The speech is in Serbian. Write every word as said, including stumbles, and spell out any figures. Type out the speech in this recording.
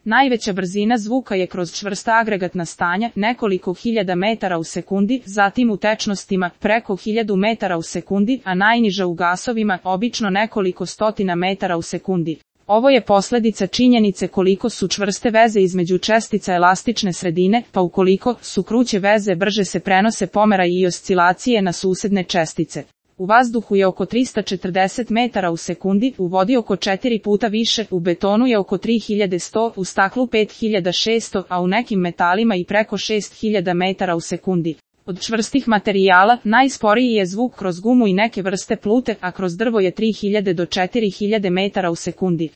Najveća brzina zvuka je kroz čvrsta agregatna stanja, nekoliko hiljada metara u sekundi, zatim u tečnostima, preko hiljadu metara u sekundi, a najniža u gasovima, obično nekoliko stotina metara u sekundi. Ovo je posljedica činjenice koliko su čvrste veze između čestica elastične sredine, pa ukoliko su kruće veze brže se prenose pomeraji i oscilacije na susedne čestice. U vazduhu je oko trista četrdeset metara u sekundi, u vodi oko četiri puta više, u betonu je oko tri hiljade sto, u staklu pet hiljada šesto, a u nekim metalima i preko šest hiljada metara u sekundi. Od čvrstih materijala, najsporiji je zvuk kroz gumu i neke vrste plute, a kroz drvo je tri hiljade do četiri hiljade metara u sekundi.